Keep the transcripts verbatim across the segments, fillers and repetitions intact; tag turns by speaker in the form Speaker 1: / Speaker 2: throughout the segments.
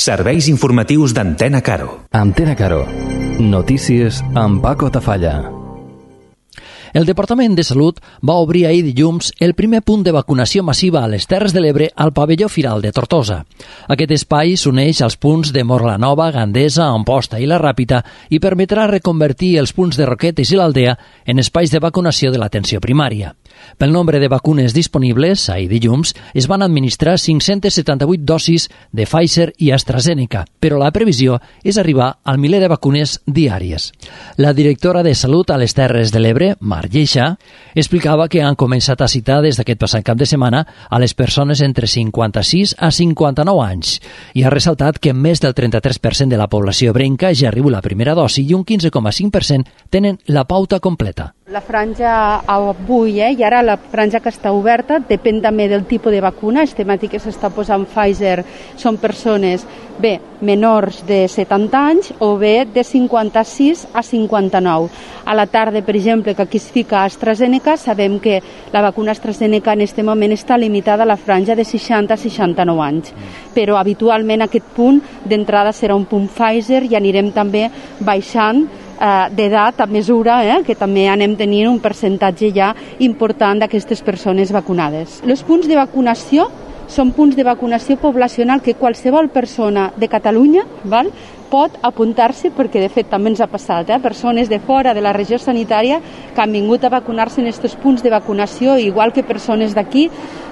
Speaker 1: Serveis informatius d'Antena Caro.
Speaker 2: Antena Caro. Notícies amb Paco Tafalla.
Speaker 3: El Departament de Salut va obrir ahir dilluns el primer punt de vacunació massiva a les Terres de l'Ebre al pavelló Firal de Tortosa. Aquest espai s'uneix als punts de Morlanova, Gandesa, Amposta i La Ràpita i permetrà reconvertir els punts de Roquetes i l'Aldea en espais de vacunació de l'atenció primària. Pel nombre de vacunes disponibles, ahir dilluns, es van administrar cinc-centes setanta-vuit dosis de Pfizer i AstraZeneca, però la previsió és arribar al miler de vacunes diàries. La directora de Salut a les Terres de l'Ebre, Mar Lleixa, explicava que han començat a citar des d'aquest passat cap de setmana a les persones entre cinquanta-sis a cinquanta-nou anys i ha ressaltat que més del trenta-tres per cent de la població ebrenca ja arriba la primera dosi i un quinze coma cinc per cent tenen la pauta completa.
Speaker 4: La franja avui, eh, i ara la franja que està oberta, depèn també del tipus de vacuna. Estem aquí que s'està posant Pfizer, són persones bé menors de setanta anys o bé de cinquanta-sis a cinquanta-nou. A la tarda, per exemple, que aquí es fica AstraZeneca, sabem que la vacuna AstraZeneca en aquest moment està limitada a la franja de seixanta a seixanta-nou anys. Però habitualment aquest punt d'entrada serà un punt Pfizer i anirem també baixant d'edat a mesura eh, que també anem tenint un percentatge ja important d'aquestes persones vacunades. Els punts de vacunació són punts de vacunació poblacional que qualsevol persona de Catalunya val, pot apuntar-se, perquè de fet també ens ha passat, eh, persones de fora de la regió sanitària que han vingut a vacunar-se en aquests punts de vacunació, igual que persones d'aquí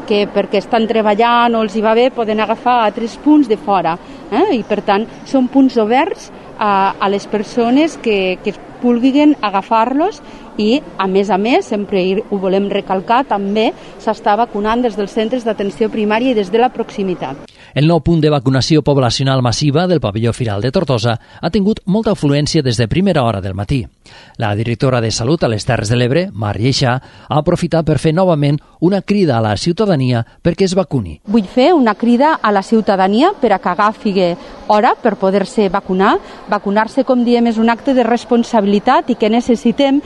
Speaker 4: que perquè estan treballant o els hi va bé poden agafar altres punts de fora. Eh? I per tant són punts oberts a, a les persones que, que vulguin agafar-los i, a més a més, sempre ho volem recalcar, també s'està vacunant des dels centres d'atenció primària i des de la proximitat.
Speaker 3: El nou punt de vacunació poblacional massiva del pavelló Firal de Tortosa ha tingut molta afluència des de primera hora del matí. La directora de Salut a les Terres de l'Ebre, Mar Lleixa, ha aprofitat per fer novament una crida a la ciutadania perquè es vacuni.
Speaker 4: Vull fer una crida a la ciutadania per a que agafi hora per poder-se vacunar. Vacunar-se, com diem, és un acte de responsabilitat i que necessitem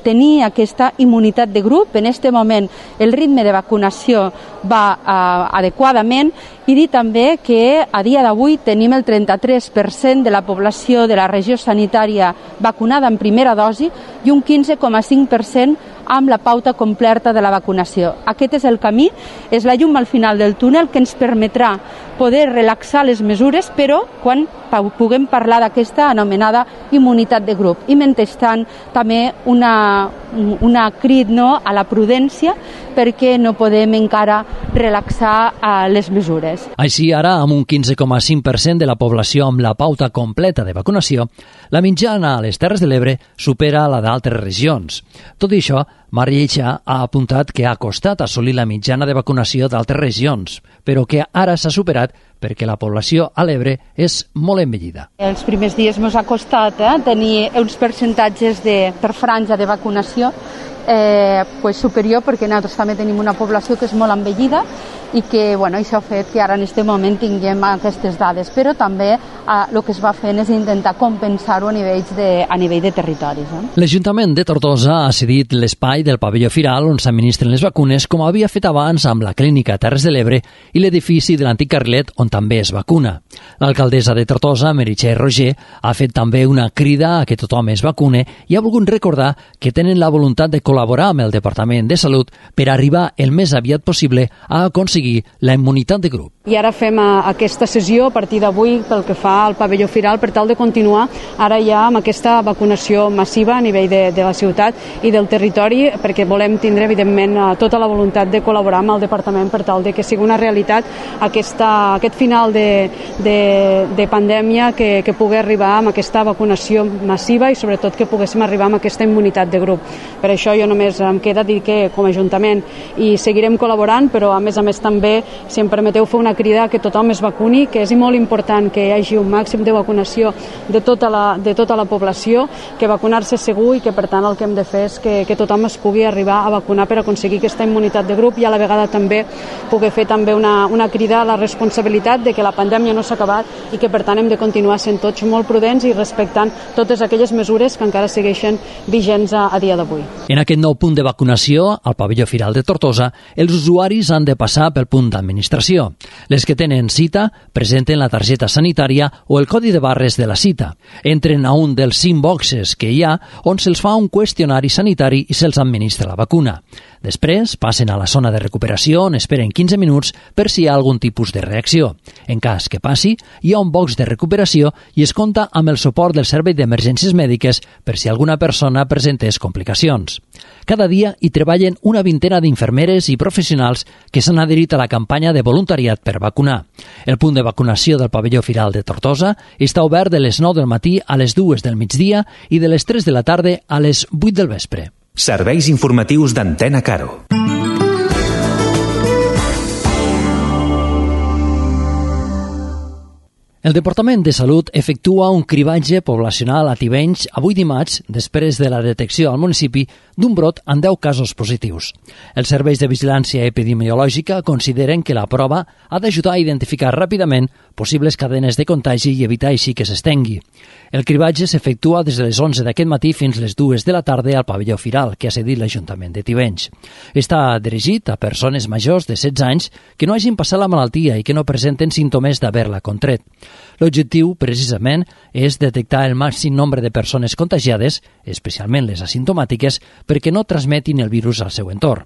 Speaker 4: tenir aquesta immunitat de grup. En aquest moment el ritme de vacunació va uh, adequadament i dir també que a dia d'avui tenim el trenta-tres per cent de la població de la regió sanitària vacunada en primera dosi i un quinze coma cinc per cent amb la pauta completa de la vacunació. Aquest és el camí, és la llum al final del túnel que ens permetrà poder relaxar les mesures, però quan puguem parlar d'aquesta anomenada immunitat de grup. I mentrestant també una, una crit no, a la prudència perquè no podem encara relaxar uh, les mesures.
Speaker 3: Així, ara, amb un quinze coma cinc per cent de la població amb la pauta completa de vacunació, la mitjana a les Terres de l'Ebre supera la d'altres regions. Tot i això, Mar Lleixa ha apuntat que ha costat assolir la mitjana de vacunació d'altres regions, però que ara s'ha superat perquè la població a l'Ebre és molt envellida.
Speaker 4: Els primers dies ens ha costat eh, tenir uns percentatges de, per franja de vacunació eh, pues superior, perquè nosaltres també tenim una població que és molt envellida i que bueno, això ha fet que ara en aquest moment tinguem aquestes dades, però també eh, el que es va fent és intentar compensar-ho a, de, a nivell de territoris. Eh?
Speaker 3: L'Ajuntament de Tortosa ha cedit l'espai del pavelló Firal on s'administren les vacunes, com havia fet abans amb la clínica Terres de l'Ebre i l'edifici de l'antic carrilet on també es vacuna. L'alcaldessa de Tortosa, Meritxell Roger, ha fet també una crida a que tothom es vacune i ha volgut recordar que tenen la voluntat de col·laborar amb el Departament de Salut per arribar el més aviat possible a aconseguir la immunitat de grup.
Speaker 5: I ara fem aquesta sessió a partir d'avui pel que fa al pavelló Firal per tal de continuar ara ja amb aquesta vacunació massiva a nivell de, de la ciutat i del territori, perquè volem tindre evidentment tota la voluntat de col·laborar amb el departament per tal de que sigui una realitat aquesta, aquest final de, de, de pandèmia que, que pugui arribar amb aquesta vacunació massiva i sobretot que poguéssim arribar amb aquesta immunitat de grup. Per això jo només em queda dir que com a Ajuntament hi seguirem col·laborant, però a més a més també, si em permeteu, fer una crida que tothom es vacuni, que és molt important que hi hagi un màxim de vacunació de tota la, de tota la població, que vacunar-se és segur i que per tant el que hem de fer és que, que tothom es pugui arribar a vacunar per aconseguir aquesta immunitat de grup i a la vegada també poder fer també una, una crida a la responsabilitat de que la pandèmia no s'ha acabat controlat i que per tant hem de continuar sent tots molt prudents i respectant totes aquelles mesures que encara segueixen vigents a, a dia d'avui.
Speaker 3: En aquest nou punt de vacunació, al pavelló Firal de Tortosa, els usuaris han de passar pel punt d'administració. Les que tenen cita presenten la targeta sanitària o el codi de barres de la cita. Entren a un dels cinc boxes que hi ha on se'ls fa un qüestionari sanitari i se'ls administra la vacuna. Després passen a la zona de recuperació on esperen quinze minuts per si hi ha algun tipus de reacció. En cas que passi, hi ha un box de recuperació i es compta amb el suport del Servei d'Emergències Mèdiques per si alguna persona presentés complicacions. Cada dia hi treballen una vintena d'infermeres i professionals que s'han adherit a la campanya de voluntariat per vacunar. El punt de vacunació del pavelló Firal de Tortosa està obert de les nou del matí a les dues del migdia i de les tres de la tarda a les vuit del vespre.
Speaker 1: Serveis informatius d'Antena Caro.
Speaker 3: El Departament de Salut efectua un cribatge poblacional a Tivenys avui dimarts després de la detecció al municipi d'un brot amb deu casos positius. Els serveis de vigilància epidemiològica consideren que la prova ha d'ajudar a identificar ràpidament possibles cadenes de contagi i evitar així que s'estengui. El cribatge s'efectua des de les onze d'aquest matí fins les dues de la tarda al pavelló Firal, que ha cedit l'Ajuntament de Tivenys. Està dirigit a persones majors de setze anys que no hagin passat la malaltia i que no presenten símptomes d'haver-la contret. L'objectiu, precisament, és detectar el màxim nombre de persones contagiades, especialment les asimptomàtiques, perquè no transmetin el virus al seu entorn.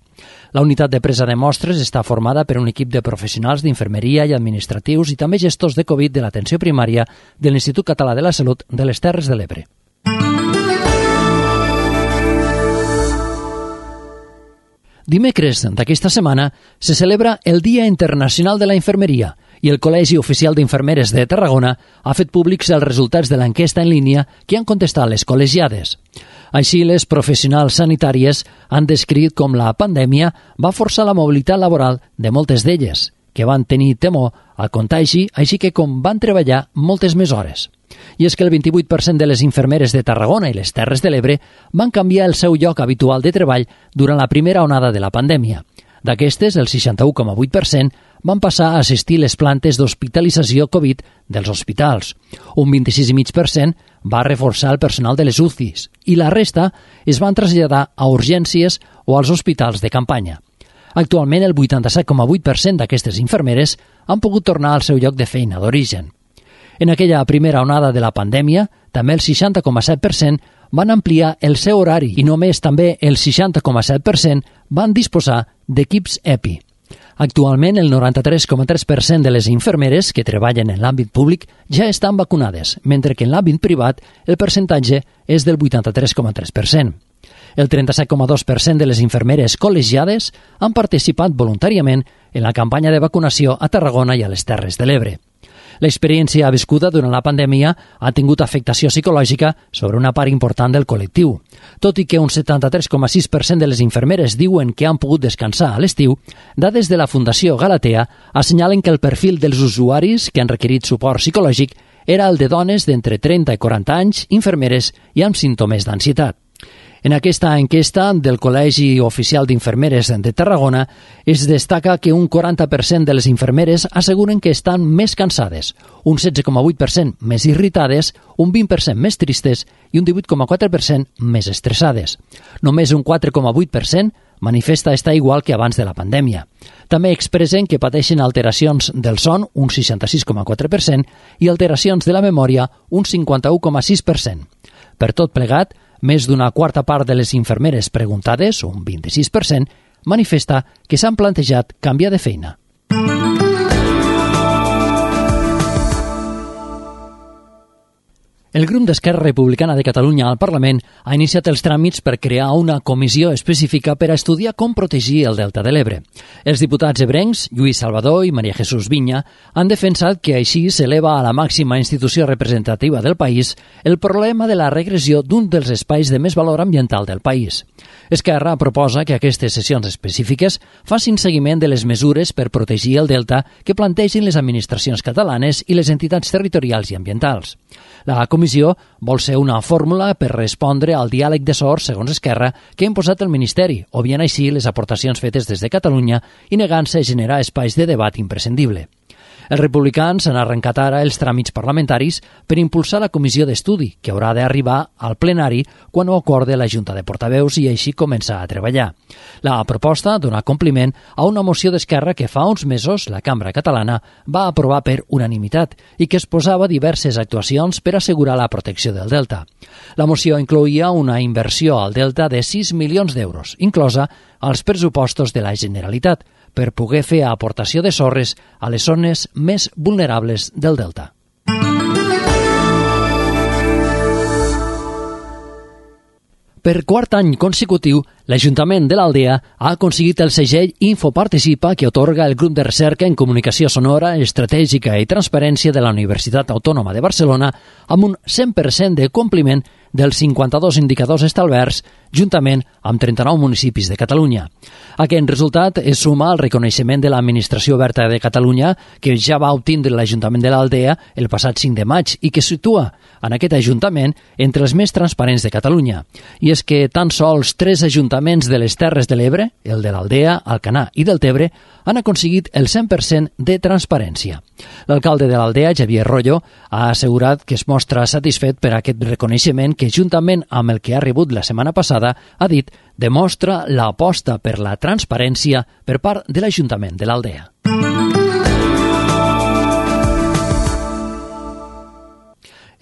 Speaker 3: La unitat de presa de mostres està formada per un equip de professionals d'infermeria i administratius i també gestors de Covid de l'atenció primària de l'Institut Català de la Salut de les Terres de l'Ebre. Dimecres d'aquesta setmana se celebra el Dia Internacional de la Infermeria i el Col·legi Oficial d'Infermeres de Tarragona ha fet públics els resultats de l'enquesta en línia que han contestat les col·legiades. Així, les professionals sanitàries han descrit com la pandèmia va forçar la mobilitat laboral de moltes d'elles, que van tenir temor al contagi, així que com van treballar moltes més hores. I és que el vint-i-vuit per cent de les infermeres de Tarragona i les Terres de l'Ebre van canviar el seu lloc habitual de treball durant la primera onada de la pandèmia. D'aquestes, el seixanta-u coma vuit per cent van passar a assistir les plantes d'hospitalització Covid dels hospitals. Un vint-i-sis coma cinc per cent va reforçar el personal de les U C Is i la resta es van traslladar a urgències o als hospitals de campanya. Actualment, el vuitanta-set coma vuit per cent d'aquestes infermeres han pogut tornar al seu lloc de feina d'origen. En aquella primera onada de la pandèmia, també el seixanta coma set per cent van ampliar el seu horari i només també el seixanta coma set per cent van disposar d'equips EPI. Actualment, el noranta-tres coma tres per cent de les infermeres que treballen en l'àmbit públic ja estan vacunades, mentre que en l'àmbit privat el percentatge és del vuitanta-tres coma tres per cent. El trenta-set coma dos per cent de les infermeres col·legiades han participat voluntàriament en la campanya de vacunació a Tarragona i a les Terres de l'Ebre. L'experiència viscuda durant la pandèmia ha tingut afectació psicològica sobre una part important del col·lectiu. Tot i que un setanta-tres coma sis per cent de les infermeres diuen que han pogut descansar a l'estiu, dades de la Fundació Galatea assenyalen que el perfil dels usuaris que han requerit suport psicològic era el de dones d'entre trenta i quaranta anys, infermeres i amb símptomes d'ansietat. En aquesta enquesta del Col·legi Oficial d'Infermeres de Tarragona es destaca que un quaranta per cent de les infermeres asseguren que estan més cansades, un setze coma vuit per cent més irritades, un vint per cent més tristes i un divuit coma quatre per cent més estressades. Només un quatre coma vuit per cent manifesta estar igual que abans de la pandèmia. També expressen que pateixen alteracions del son, un seixanta-sis coma quatre per cent, i alteracions de la memòria, un cinquanta-u coma sis per cent. Per tot plegat, més d'una quarta part de les infermeres preguntades, un vint-i-sis per cent, manifesta que s'han plantejat canviar de feina. El grup d'Esquerra Republicana de Catalunya al Parlament ha iniciat els tràmits per crear una comissió específica per a estudiar com protegir el Delta de l'Ebre. Els diputats ebrencs, Lluís Salvador i Maria Jesús Viña, han defensat que així s'eleva a la màxima institució representativa del país el problema de la regressió d'un dels espais de més valor ambiental del país. Esquerra proposa que aquestes sessions específiques facin seguiment de les mesures per protegir el Delta que plantegin les administracions catalanes i les entitats territorials i ambientals. La comissió vol ser una fórmula per respondre al diàleg de sords, segons Esquerra, que ha imposat el Ministeri, obviant així les aportacions fetes des de Catalunya i negant-se a generar espais de debat imprescindible. Els republicans han arrencat ara els tràmits parlamentaris per impulsar la comissió d'estudi, que haurà d'arribar al plenari quan ho acorde la Junta de Portaveus i així començar a treballar. La proposta dona compliment a una moció d'Esquerra que fa uns mesos la Cambra Catalana va aprovar per unanimitat i que exposava diverses actuacions per assegurar la protecció del delta. La moció incloïa una inversió al delta de sis milions d'euros, inclosa als pressupostos de la Generalitat, per poder fer aportació de sorres a les zones més vulnerables del delta. Per quart any consecutiu, l'Ajuntament de l'Aldea ha aconseguit el segell Infoparticipa que atorga el grup de recerca en comunicació sonora, estratègica i transparència de la Universitat Autònoma de Barcelona amb un cent per cent de compliment dels cinquanta-dos indicadors establerts, juntament amb trenta-nou municipis de Catalunya. Aquest resultat es suma al reconeixement de l'Administració Oberta de Catalunya, que ja va obtindre l'Ajuntament de l'Aldea el passat cinc de maig i que situa en aquest Ajuntament entre els més transparents de Catalunya. I és que tan sols tres ajuntaments de les Terres de l'Ebre, el de l'Aldea, Alcanar i del Tebre, han aconseguit el cent per cent de transparència. L'alcalde de l'Aldea, Xavier Rollo, ha assegurat que es mostra satisfet per aquest reconeixement que, juntament amb el que ha rebut la setmana passada, ha dit, demostra l'aposta per la transparència per part de l'Ajuntament de l'Aldea.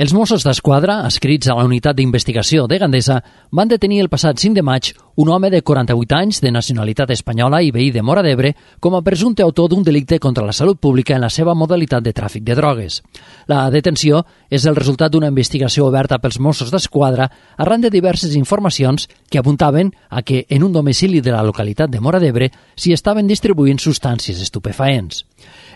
Speaker 3: Els Mossos d'Esquadra, adscrits a la unitat d'investigació de Gandesa, van detenir el passat cinc de maig un home de quaranta-vuit anys de nacionalitat espanyola i veí de Móra d'Ebre com a presumpte autor d'un delicte contra la salut pública en la seva modalitat de tràfic de drogues. La detenció és el resultat d'una investigació oberta pels Mossos d'Esquadra arran de diverses informacions que apuntaven a que en un domicili de la localitat de Móra d'Ebre s'hi estaven distribuint substàncies estupefaents.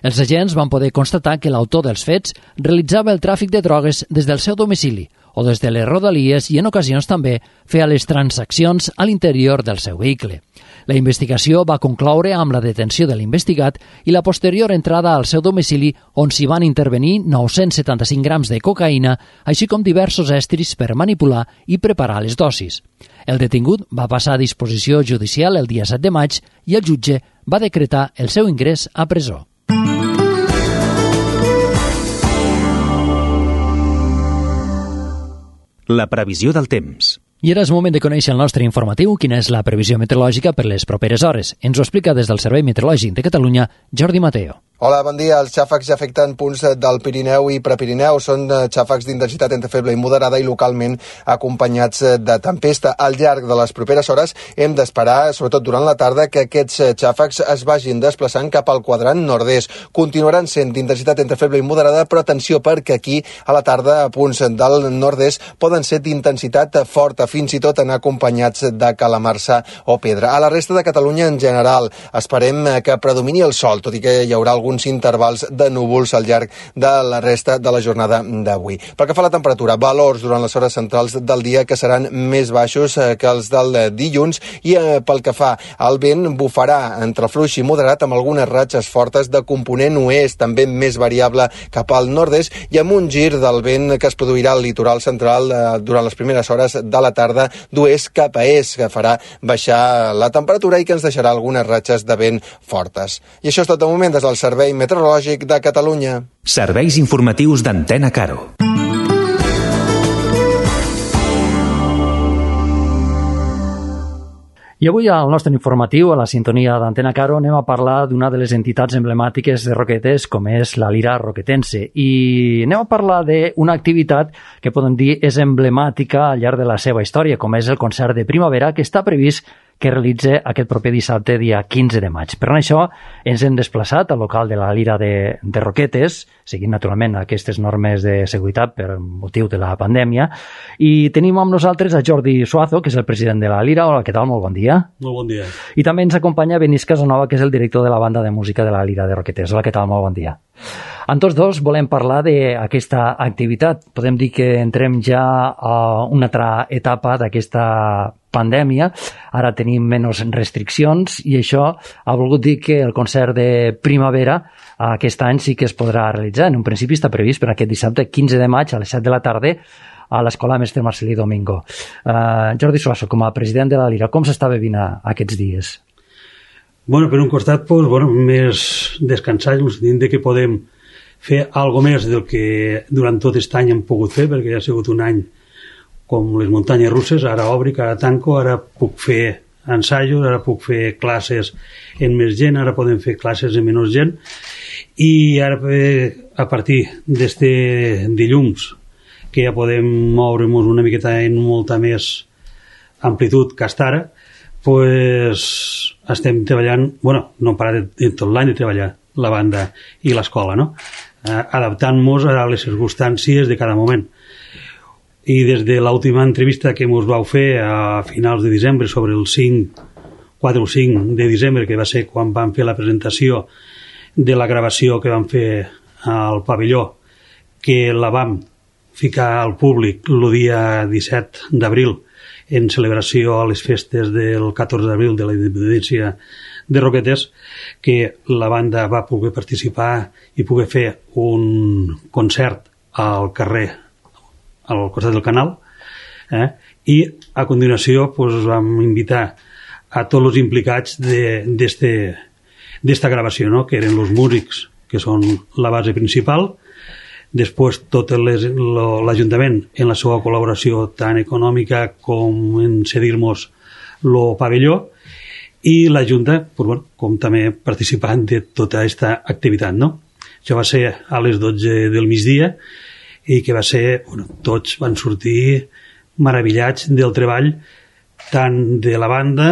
Speaker 3: Els agents van poder constatar que l'autor dels fets realitzava el tràfic de drogues des del seu domicili o des de les rodalies i en ocasions també feia les transaccions a l'interior del seu vehicle. La investigació va concloure amb la detenció de l'investigat i la posterior entrada al seu domicili on s'hi van intervenir nou-cents setanta-cinc grams de cocaïna, així com diversos estris per manipular i preparar les dosis. El detingut va passar a disposició judicial el dia set de maig i el jutge va decretar el seu ingrés a presó.
Speaker 1: La previsió del temps.
Speaker 3: I ara és moment de conèixer el nostre informatiu, quina és la previsió meteorològica per les properes hores. Ens ho explica des del Servei Meteorològic de Catalunya, Jordi Mateo.
Speaker 6: Hola, bon dia. Els xàfecs ja afecten punts del Pirineu i Prepirineu. Són xàfecs d'intensitat entre feble i moderada i localment acompanyats de tempesta. Al llarg de les properes hores hem d'esperar, sobretot durant la tarda, que aquests xàfecs es vagin desplaçant cap al quadrant nord-est. Continuaran sent d'intensitat entre feble i moderada, però atenció perquè aquí a la tarda a punts del nord-est poden ser d'intensitat forta, fins i tot anar acompanyats de calamarsa o pedra. A la resta de Catalunya en general esperem que predomini el sol, tot i que hi haurà alguns intervals de núvols al llarg de la resta de la jornada d'avui. Pel que fa a la temperatura, valors durant les hores centrals del dia que seran més baixos que els del dilluns i eh, pel que fa al vent bufarà entre fluix i moderat amb algunes ratxes fortes de component oest, també més variable cap al nord-est i amb un gir del vent que es produirà al litoral central eh, durant les primeres hores de la tarda d'oest cap a est, que farà baixar la temperatura i que ens deixarà algunes ratxes de vent fortes. I això és tot de moment des del Servei Meteorològic de Catalunya.
Speaker 1: Serveis informatius d'Antena Caro.
Speaker 3: I avui al nostre informatiu, a la sintonia d'Antena Caro, anem a parlar d'una de les entitats emblemàtiques de Roquetes, com és la Lira Roquetense. I anem a parlar d'una activitat que podem dir és emblemàtica al llarg de la seva història, com és el concert de primavera, que està previst que realitza aquest proper dissabte, dia quinze de maig. Per això ens hem desplaçat al local de la Lira de, de Roquetes, seguint naturalment aquestes normes de seguretat per motiu de la pandèmia, i tenim amb nosaltres a Jordi Suazo, que és el president de la Lira. Hola, què tal? Molt bon dia.
Speaker 7: Molt bon dia.
Speaker 3: I també ens acompanya Benís Casanova, que és el director de la banda de música de la Lira de Roquetes. Hola, què tal? Molt bon dia. En tots dos volem parlar d'aquesta activitat. Podem dir que entrem ja a una altra etapa d'aquesta pandèmia. Ara tenim menys restriccions i això ha volgut dir que el concert de primavera aquest any sí que es podrà realitzar. En un principi està previst per aquest dissabte quinze de maig a les set de la tarda a l'Escola Mestre Marcelí Domingo. Uh, Jordi Suazo, com a president de la Lira, com s'està vivint aquests dies?
Speaker 7: Bueno, per un costat, pues, bueno, més descansats, en el sentit que podem fer algo més del que durant tot aquest any hem pogut fer, perquè ha sigut un any com les muntanyes russes, ara obri, ara tanco, ara puc fer ensajos, ara puc fer classes en més gent, ara podem fer classes en menys gent, i ara a partir d'este dilluns que ja podem moure'ns una miqueta en molta més amplitud que hasta ara, pues estem treballant, bueno, no hem parat tot l'any de treballar la banda i l'escola, no? Eh, adaptant-nos a les circumstàncies de cada moment. I des de l'última entrevista que ens vau fer a finals de desembre, sobre el cinc, quatre o cinc de desembre, que va ser quan vam fer la presentació de la gravació que vam fer al pavelló, que la vam ficar al públic el dia disset d'abril en celebració a les festes del catorze d'abril de la independència de Roquetes, que la banda va poder participar i poder fer un concert al carrer, al costat del canal, eh? I a continuació pues, vam invitar a tots els implicats d'esta gravació, no? Que eren els músics, que són la base principal, després tot l'Ajuntament en la seva col·laboració tant econòmica com en cedir-nos el pavelló, i la Junta pues, bueno, com també participant de tota aquesta activitat, no? Això va ser a les dotze del migdia i que va ser, bueno, tots van sortir meravellats del treball tant de la banda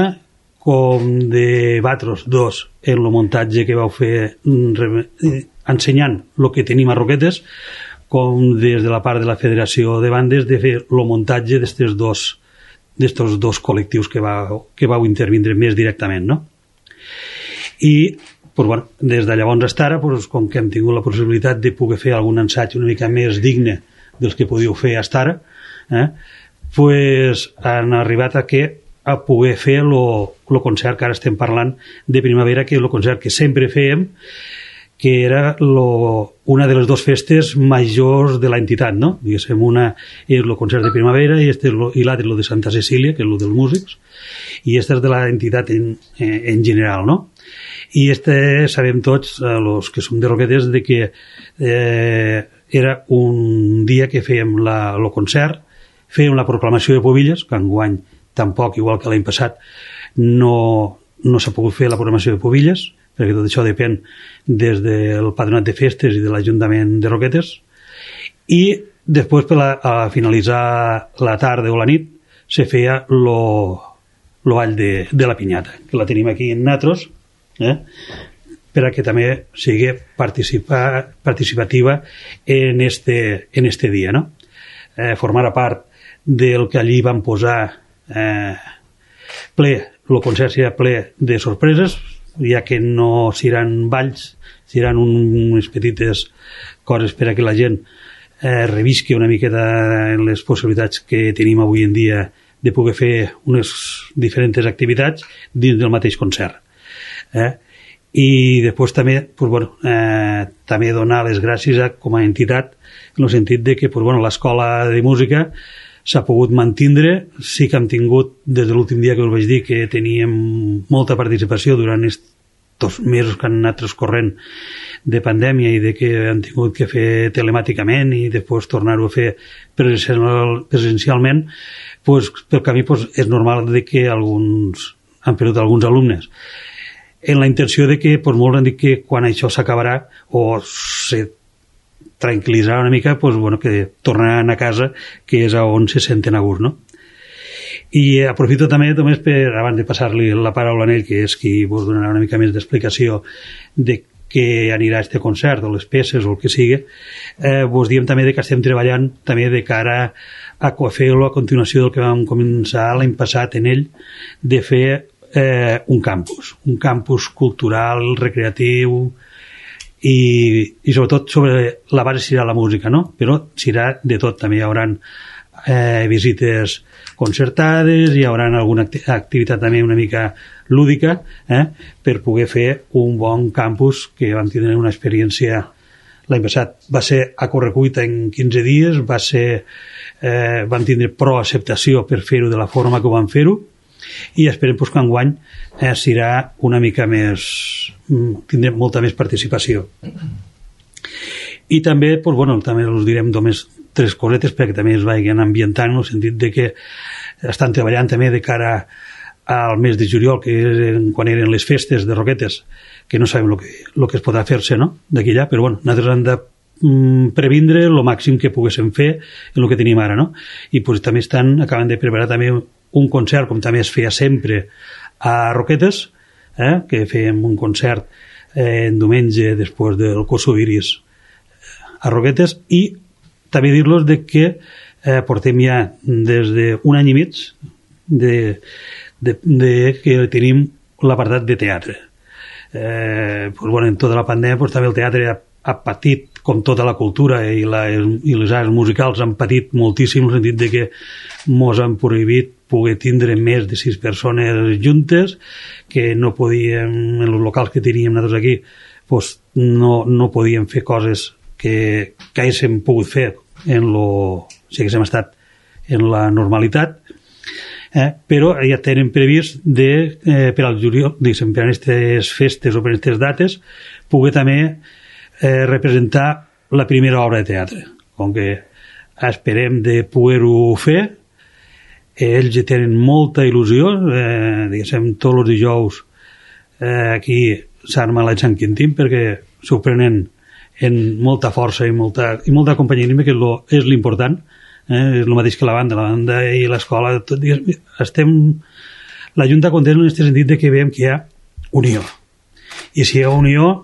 Speaker 7: com de Batros dos en el muntatge que vau fer ensenyant el que tenim a Roquetes, com des de la part de la Federació de Bandes de fer el muntatge d'estos dos d'estos dos col·lectius que vau, que vau intervindre més directament, no? I pues, bueno, des de llavors fins ara, pues, com que hem tingut la possibilitat de poder fer algun ensaig una mica més digne dels que podíeu fer fins ara, eh, pues, han arribat a que a poder fer el concert que ara estem parlant de primavera, que és el concert que sempre fèiem, que era lo, una de les dues festes majors de l'entitat, no? Diguéssim, una és el concert de primavera i, este lo, i l'altre és el de Santa Cecília, que és el dels músics, i este és de l'entitat en, en general, no? I este sabem tots, els que som de Roquetes, de que eh, era un dia que fèiem la, el concert, fèiem la proclamació de Pobilles, que enguany tampoc, igual que l'any passat, no, no s'ha pogut fer la proclamació de Pobilles, perquè tot això depèn des del Patronat de Festes i de l'Ajuntament de Roquetes, i després per la, a finalitzar la tarda o la nit se feia lo, lo ball de, de la pinyata, que la tenim aquí en natros, eh? Per a que també sigui participa, participativa en este, en este dia, no? Eh, formar part del que allí van posar eh, ple, el concert serà ple de sorpreses, ja que no seran balls, seran un, unes petites coses per a que la gent eh, revisqui una miqueta en les possibilitats que tenim avui en dia de poder fer unes diferents activitats dins del mateix concert. Eh? I després també, pues, bueno, eh, també donar les gràcies a, com a entitat, en el sentit de que pues, bueno, l'escola de música s'ha pogut mantindre. Sí que hem tingut, des de l'últim dia que us vaig dir, que teníem molta participació durant estos mesos que han anat transcorrent de pandèmia i de que han tingut que fer telemàticament i després tornar-ho a fer presencial, presencialment, pues, pel camí pues, és normal de que alguns han perdut alguns alumnes. En la intenció de que pues, molts han dit que quan això s'acabarà o se tranquil·litzarà una mica, pues, bueno, que tornaran a casa, que és on se senten a gust, no? I aprofito també només per, abans de passar-li la paraula a ell, que és qui vos donarà una mica més d'explicació de què anirà a este concert, o les peces, o el que sigui, eh, vos diem també de que estem treballant també de cara a fer-lo a continuació del que vam començar l'any passat en ell, de fer eh, un campus, un campus cultural, recreatiu, i, i sobretot sobre la base serà la música, no? Però serà de tot, també hi haurà eh, visites concertades, hi haurà alguna activitat també una mica lúdica, eh, per poder fer un bon campus, que vam tenir una experiència l'any passat. Va ser a correcuita en quinze dies, va ser, eh, vam tindre prou acceptació per fer-ho de la forma que ho vam fer-ho, i esperem pues, que enguany eh, serà una mica més, tindrem molta més participació. I també, doncs, bueno, també us direm només tres cosetes perquè també es vagin ambientant en el sentit de que estan treballant també de cara al mes de juliol, que eren, quan eren les festes de Roquetes, que no sabem el que, lo que es podrà fer-se, no?, d'aquí allà, però bueno, nosaltres hem de mm, previndre el màxim que poguéssim fer en el que tenim ara, no? I pues, també estan, acaben de preparar també un concert, com també es feia sempre a Roquetes, eh, que fèiem un concert eh, en diumenge després del Kosoviris a Roquetes, i també dir-los de que eh, portem ja des d'un any i mig de, de, de que tenim l'apartat de teatre. Eh, pues, bueno, en tota la pandèmia pues, també el teatre ha, ha patit, com tota la cultura i, la, i les arts musicals han patit moltíssim, en el sentit de que mos han prohibit poder tindre més de sis persones juntes, que no podíem, en els locals que teníem nosaltres aquí, pues, no, no podíem fer coses que, que haguéssim pogut fer en lo, si haguéssim estat en la normalitat, eh, però ja tenen previst de, eh, per al juliol, diguéssim, per a aquestes festes o per a aquestes dates, poder també eh, representar la primera obra de teatre. Com que esperem de poder-ho fer, ells ja tenen molta il·lusió, eh, diguéssim, tots els dijous eh, aquí s'arma la Sant Quintín perquè s'ho prenen en molta força i molta, i molta companyerisme, que lo, és l'important, eh? És el mateix que la banda, la banda i l'escola, tot, digues, estem la Junta contenta en aquest sentit de que veiem que hi ha unió, i si hi ha unió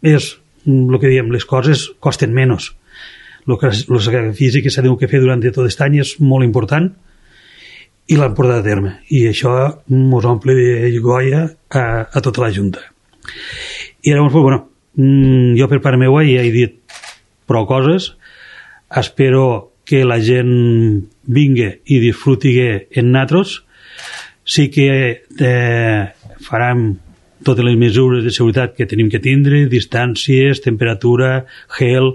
Speaker 7: és el que diem, les coses costen menys, el sacrifici que s'ha de fer durant tot aquest any és molt important i l'han portat a terme, i això ens omple de goia a, a tota la Junta. I llavors, bueno, jo per part meva ja he dit prou coses, espero que la gent vingui i disfruti en nosaltres. Sí que eh, farem totes les mesures de seguretat que tenim que tindre, distàncies, temperatura, gel,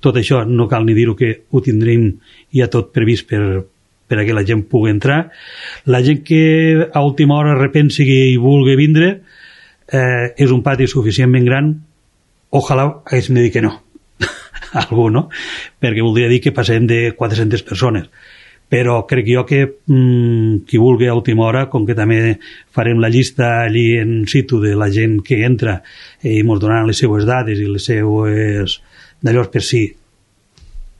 Speaker 7: tot això no cal ni dir-ho, que ho tindrem ja tot previst per, per a que la gent pugui entrar. La gent que a última hora repensi i vulgui vindre, eh, és un pati suficientment gran, ojalà haguéssim de dir que no. Algú, no? Perquè voldria dir que passem de quatre-centes persones. Però crec jo que mmm, qui vulgui a última hora, com que també farem la llista allí en situ de la gent que entra i ens donaran les seues dades i les seues d'allò per si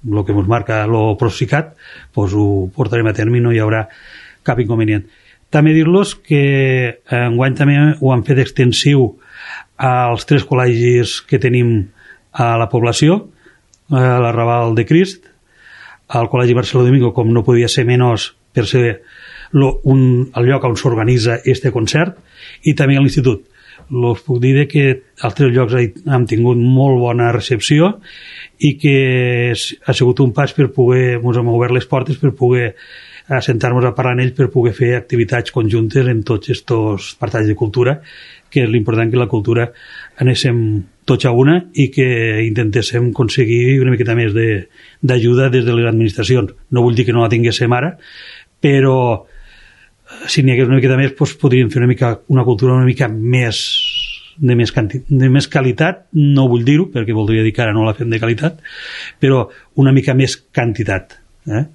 Speaker 7: el que ens marca el Procicat, doncs ho portarem a terme i no hi haurà cap inconvenient. També dir-los que enguany també ho han fet extensiu als tres col·legis que tenim a la població, a l'Arrabal de Crist, al Col·legi Barceló Domingo, com no podia ser menys per ser lo, un, el lloc on s'organitza este concert, i també a l'Institut. Us puc dir que als tres llocs hem tingut molt bona recepció i que ha sigut un pas per poder, ens hem obert les portes per poder assentar-nos a parlar amb ells, per poder fer activitats conjuntes en tots aquests apartats de cultura, que és l'important que la cultura anéssim tots a una i que intentéssim aconseguir una miqueta més d'ajuda des de les administracions. No vull dir que no la tinguéssim ara, però si n'hi hagués una miqueta més, doncs podríem fer una, mica, una cultura una mica més de més, canti, de més qualitat, no vull dir-ho, perquè voldria dir que ara no la fem de qualitat, però una mica més quantitat. Eh?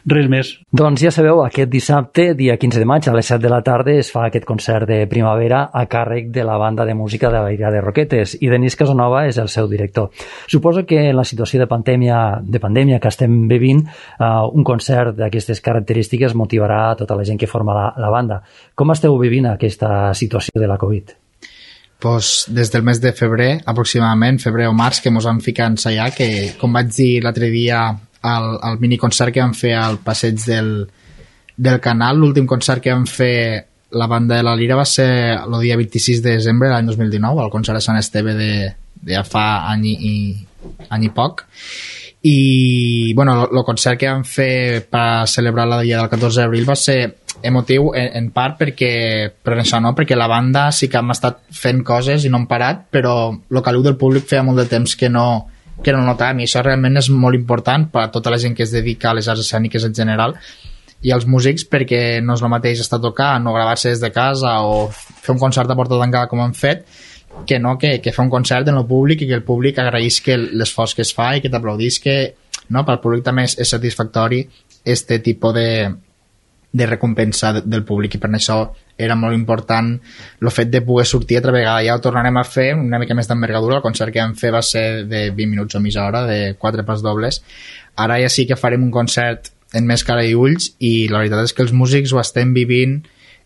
Speaker 7: Res més.
Speaker 3: Doncs ja sabeu, aquest dissabte, dia quinze de maig, a les set de la tarda es fa aquest concert de primavera a càrrec de la banda de música de l'Aire de Roquetes, i Denis Casanova és el seu director. Suposo que en la situació de pandèmia, de pandèmia que estem vivint, uh, un concert d'aquestes característiques motivarà a tota la gent que forma la, la banda. Com esteu vivint aquesta situació de la Covid?
Speaker 8: Pues des del mes de febrer, aproximadament, febrer o març, que ens vam ficar a ensaiar, que, com vaig dir l'altre dia, el, el miniconcert que vam fer al passeig del, del Canal, l'últim concert que vam fer la banda de la Lira va ser el dia vint-i-sis de desembre de l'any dos mil dinou, al concert de Sant Esteve de, de ja fa any i, any i poc. I bueno, el concert que vam fer per celebrar la dia del catorze d'abril va ser emotiu en, en part perquè, per això no, perquè la banda sí que hem estat fent coses i no hem parat, però el caliu del públic feia molt de temps que no que no notàvem, i això realment és molt important per a tota la gent que es dedica a les arts escèniques en general i als músics, perquè no és el mateix estar tocant o gravar-se des de casa o fer un concert a porta tancada com hem fet, que no, que, que fa un concert en el públic i que el públic agraeix que l'esforç que es fa i que t'aplaudís, que no, pel públic també és, és satisfactori este tipus de, de recompensa de, del públic, i per això era molt important el fet de poder sortir altra vegada. Ja ho tornarem a fer una mica més d'envergadura. El concert que vam fer va ser de vint minuts o mitja hora, de quatre pas dobles. Ara ja sí que farem un concert en més cara i ulls, i la veritat és que els músics ho estem vivint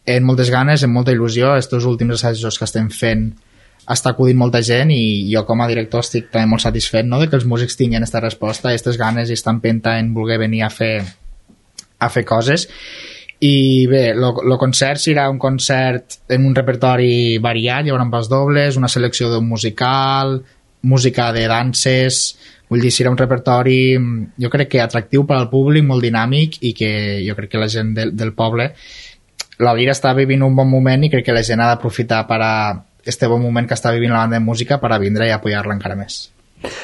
Speaker 8: amb moltes ganes, amb molta il·lusió. Estos últims assajos que estem fent està acudint molta gent, i jo com a director estic també molt satisfet, no?, de que els músics tinguin aquesta resposta, aquestes ganes i esta empenta en voler venir a fer, a fer coses. I bé, el concert serà un concert en un repertori variat, hi haurà pas dobles, una selecció d'un musical, música de danses, vull dir, serà un repertori jo crec que atractiu per al públic, molt dinàmic, i que jo crec que la gent del, del poble, la Lira està vivint un bon moment, i crec que la gent ha d'aprofitar per a este bon moment que està vivint la banda de música per a vindre i apoyar-la encara més.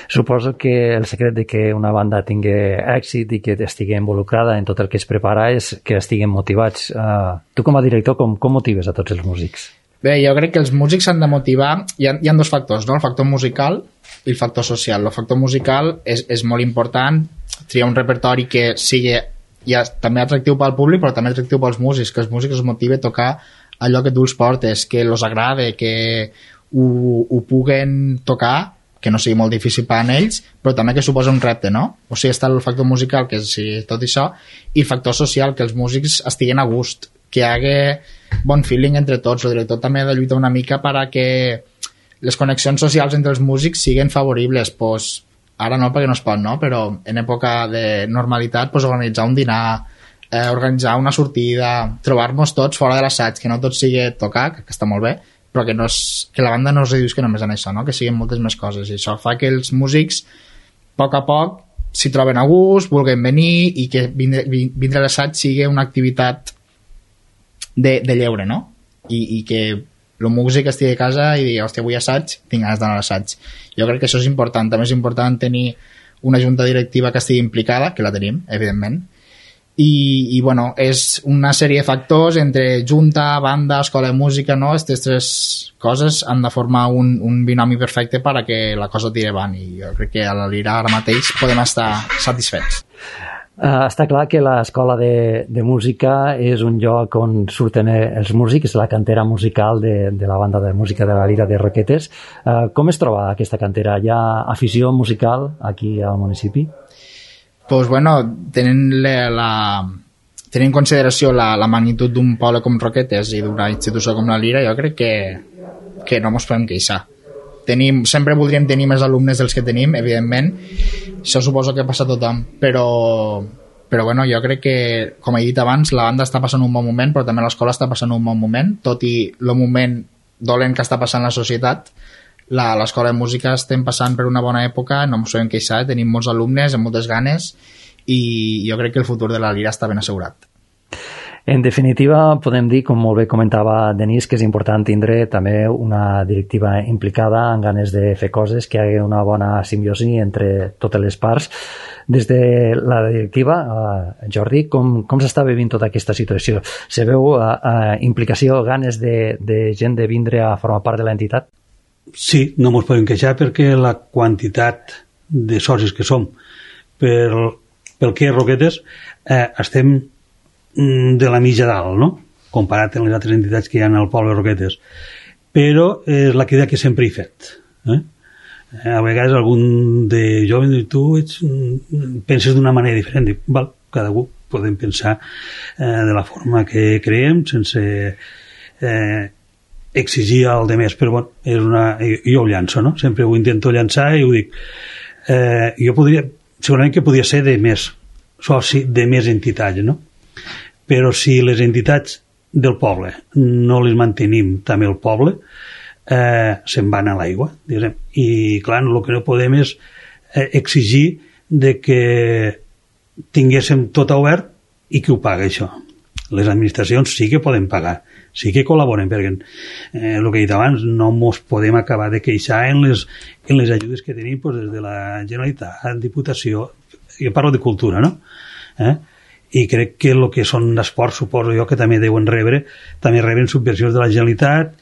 Speaker 2: Suposo que el secret de que una banda tingui èxit i que estigui involucrada en tot el que es prepara és que estiguin motivats. Uh, tu com a director, com, com motives a tots els músics?
Speaker 8: Bé, jo crec que els músics s'han de motivar. Hi ha, hi ha dos factors, no? El factor musical i el factor social. El factor musical és, és molt important, triar un repertori que sigui ja, també atractiu pel públic, però també atractiu pels músics, que els músics es motiven a tocar allò que tu els portes, que els agrada, que ho, ho puguen tocar, que no sigui molt difícil per a ells, però també que suposa un repte, no? O sigui, està el factor musical, que és tot això, i el factor social, que els músics estiguen a gust, que hi hagi bon feeling entre tots. El director també ha de lluitar una mica per a que les connexions socials entre els músics siguin favoribles. Pues, ara no, perquè no es pot, no? Però en època de normalitat, pues, organitzar un dinar, eh, organitzar una sortida, trobar-nos tots fora de l'assaig, que no tot sigui tocar, que està molt bé, però que, no és, que la banda no es reduís que només en això, no? Que siguin moltes més coses, i això fa que els músics a poc a poc s'hi troben a gust, vulguin venir, i que vindre, vindre a l'assaig sigui una activitat de, de lleure, no? I, i que el músic estigui a casa i digui, hòstia, avui assaig, tinc ganes d'anar a l'assaig. Jo crec que això és important. També és important tenir una junta directiva que estigui implicada, que la tenim, evidentment, i, i bueno, és una sèrie de factors entre junta, banda, escola de música, no? Aquestes tres coses han de formar un, un binomi perfecte per a que la cosa tiri avant, i jo crec que a la Lira ara mateix podem estar satisfets.
Speaker 2: Uh, està clar que l'escola de, de música és un lloc on surten els músics, la cantera musical de, de la banda de música de la Lira de Roquetes. Uh, com es troba aquesta cantera? Hi ha afició musical aquí al municipi?
Speaker 8: Pues bueno, tenint, la, la, tenint en consideració la, la magnitud d'un poble com Roquetes i d'una institució com la Lira, jo crec que, que no ens podem queixar. Tenim, sempre voldríem tenir més alumnes dels que tenim, evidentment, això suposo que passa a tothom, però, però bueno, jo crec que, com he dit abans, la banda està passant un bon moment, però també l'escola està passant un bon moment, tot i el moment dolent que està passant la societat. La, l'escola de música estem passant per una bona època, no ens podem queixar, tenim molts alumnes amb moltes ganes, i jo crec que el futur de la Lira està ben assegurat.
Speaker 2: En definitiva, podem dir, com molt bé comentava Denis, que és important tindre també una directiva implicada en ganes de fer coses, que hi hagi una bona simbiosi entre totes les parts. Des de la directiva, uh, Jordi, com, com s'està vivint tota aquesta situació? Se veu uh, uh, implicació, ganes de, de gent de vindre a formar part de l'entitat?
Speaker 7: Sí, no ens podem queixar perquè la quantitat de socis que som per, pel que és Roquetes eh, estem de la mitja dalt, no? Comparat amb les altres entitats que hi ha al poble de Roquetes. Però és la crida que sempre he fet. Eh? A vegades algun de jovent diu, tu ets, penses d'una manera diferent. Dic, val, cada un podem pensar eh, de la forma que creiem, sense eh, exigir al de més, però bueno, és una, jo ho llanço, no? Sempre ho intento llançar i ho dic. Eh, jo podria, segurament que podria ser de més soci, de més entitats, no? Però si les entitats del poble no les mantenim també el poble, eh, se'n van a l'aigua, diguem. I clar, el que no podem és eh, exigir de que tinguéssim tot obert i qui ho paga això. Les administracions sí que poden pagar, sí que col·laboren, perquè eh, el que he dit abans, no ens podem acabar de queixar en les, en les ajudes que tenim pues, des de la Generalitat, Diputació, jo parlo de cultura, no? Eh? I crec que el que són d'esports, suposo jo que també deuen rebre, també reben subvencions de la Generalitat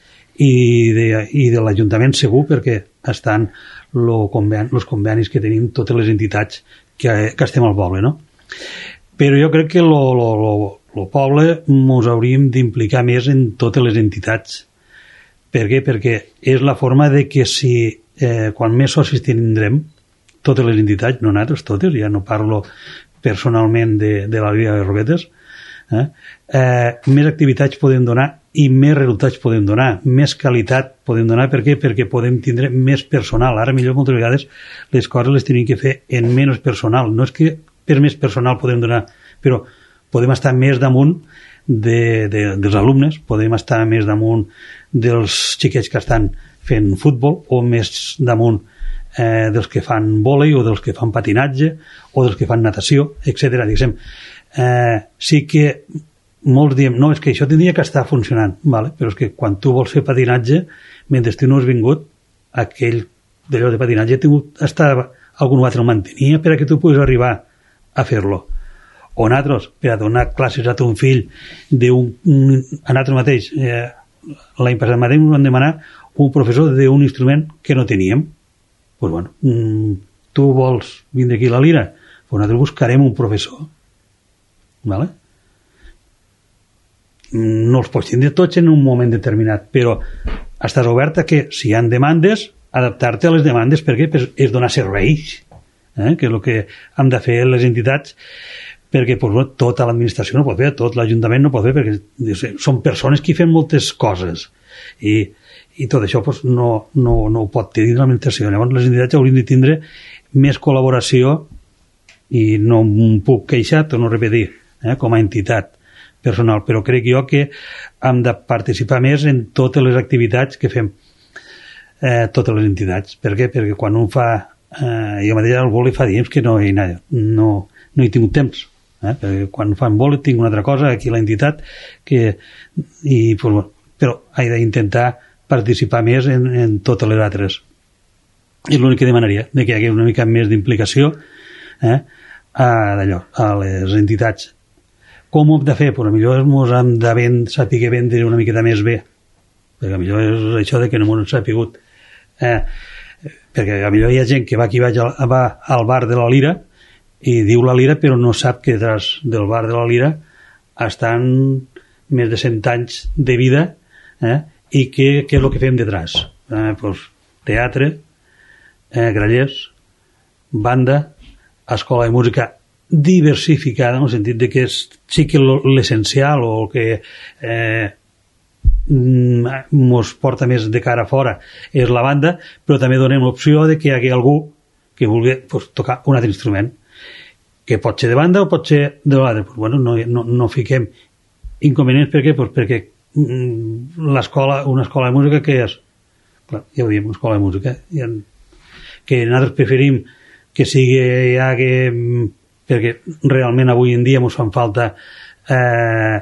Speaker 7: i de, i de l'Ajuntament segur, perquè estan els conven, convenis que tenim totes les entitats que, que estem al poble, no? Però jo crec que el poble ens hauríem d'implicar més en totes les entitats. Per què? Perquè és la forma de que si eh, quan més socis tindrem, totes les entitats, no nosaltres, totes, ja no parlo personalment de, de la Liga de Roquetes, eh, eh, més activitats podem donar i més resultats podem donar, més qualitat podem donar. Per què? Perquè podem tindre més personal. Ara millor moltes vegades les coses les tenim que fer en menys personal. No és que per més personal podem donar, però podem estar més damunt de, de, dels alumnes, podem estar més damunt dels xiquets que estan fent futbol, o més damunt eh, dels que fan vòlei, o dels que fan patinatge, o dels que fan natació, etcètera. Diguem, eh, sí que molts diem, no, és que això tindria que estar funcionant, vale? Però és que quan tu vols fer patinatge, mentre tu no has vingut, aquell d'allò de patinatge ha tingut estar, algun altre el mantenia per a que tu puguis arribar a fer-lo. O nosaltres, per a donar classes a ton fill d'un, a nosaltres mateix, eh, l'any passat mateix ens van demanar un professor d'un instrument que no teníem. Pues bueno, tu vols vindre aquí a la lira? Pues nosaltres buscarem un professor. Vale? No els pots tindre tots en un moment determinat, però estàs obert a que, si hi ha demandes, adaptar-te a les demandes, perquè és donar serveis, eh? Que és el que hem de fer les entitats, perquè pues, bueno, tota l'administració no pot fer, tot l'Ajuntament no pot fer, perquè són persones que fan moltes coses, i, i tot això pues, no, no, no ho pot tenir l'administració. Llavors les entitats haurien de tindre més col·laboració, i no em puc queixar, torno a repetir, eh? Com a entitat personal, però crec jo que hem de participar més en totes les activitats que fem eh, totes les entitats. Per què? Perquè quan un fa eh, jo mateix al vòlei fa temps que no hi, no, no, no hi tinc temps, eh? Perquè quan fan vòlei tinc una altra cosa aquí a l'entitat que, i, pues, bueno, però he d'intentar participar més en, en totes les altres. És l'únic que demanaria, de que hi hagi una mica més d'implicació eh, a, d'allò, a les entitats. Com ho hem de fer? Pues millor ens hem de vend, saber vendre una miqueta més bé, perquè millor és això de que no m'ho sapigut, eh, perquè millor hi ha gent que va aquí va al bar de la Lira i diu la Lira però no sap que detrás del bar de la Lira estan més de cent anys de vida, eh, i què, què és el que fem detrás? Eh, pues, teatre, eh, grallers, banda, escola de música diversificada, en el sentit de que és, sí que l'essencial o el que eh, ens porta més de cara a fora és la banda, però també donem l'opció de que hi hagi algú que vulgui pues, tocar un altre instrument, que pot ser de banda o pot ser de l'altre. Pues, bueno, no, no, no fiquem inconvenients. Per què? Pues perquè l'escola, una escola de música que és, clar, ja ho diem, una escola de música, que nosaltres preferim que sigui ja que, perquè realment avui en dia ens fan falta eh,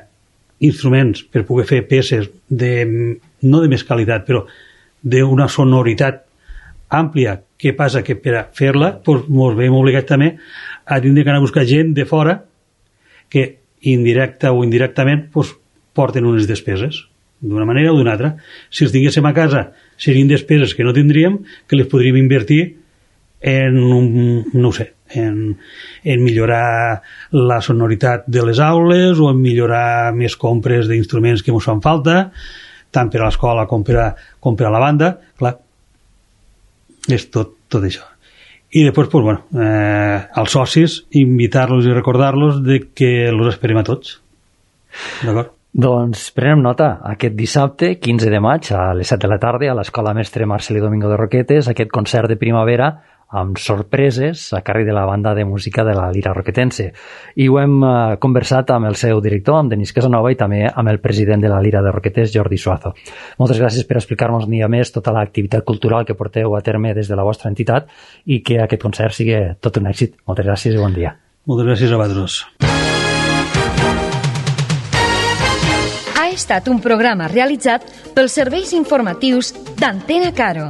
Speaker 7: instruments per poder fer peces de, no de més qualitat, però d'una sonoritat àmplia. Què passa? Que per a fer-la doncs, ens veiem obligats també a tindre que anar a buscar gent de fora que indirecta o indirectament doncs, porten unes despeses d'una manera o d'una altra. Si els tinguéssim a casa serien despeses que no tindríem, que les podríem invertir en, un, no ho sé, en, en millorar la sonoritat de les aules o en millorar més compres d'instruments que ens fan falta, tant per a l'escola com per a, com per a la banda. Clar, és tot, tot això. I després, pues, bueno, eh, als socis, invitar-los i recordar-los de que els esperem a tots. D'acord?
Speaker 2: Doncs prenem nota. Aquest dissabte, quinze de maig, a les set de la tarda, a l'Escola Mestre Marcelí Domingo de Roquetes, aquest concert de primavera amb sorpreses a càrrec de la banda de música de la Lira Roquetense. I ho hem eh, conversat amb el seu director, amb Denis Casanova, i també amb el president de la Lira de Roquetes, Jordi Suazo. Moltes gràcies per explicar-nos un dia més tota l'activitat cultural que porteu a terme des de la vostra entitat i que aquest concert sigui tot un èxit. Moltes gràcies i bon dia.
Speaker 7: Moltes gràcies a vosaltres.
Speaker 9: Ha estat un programa realitzat pels serveis informatius d'Antena Caro.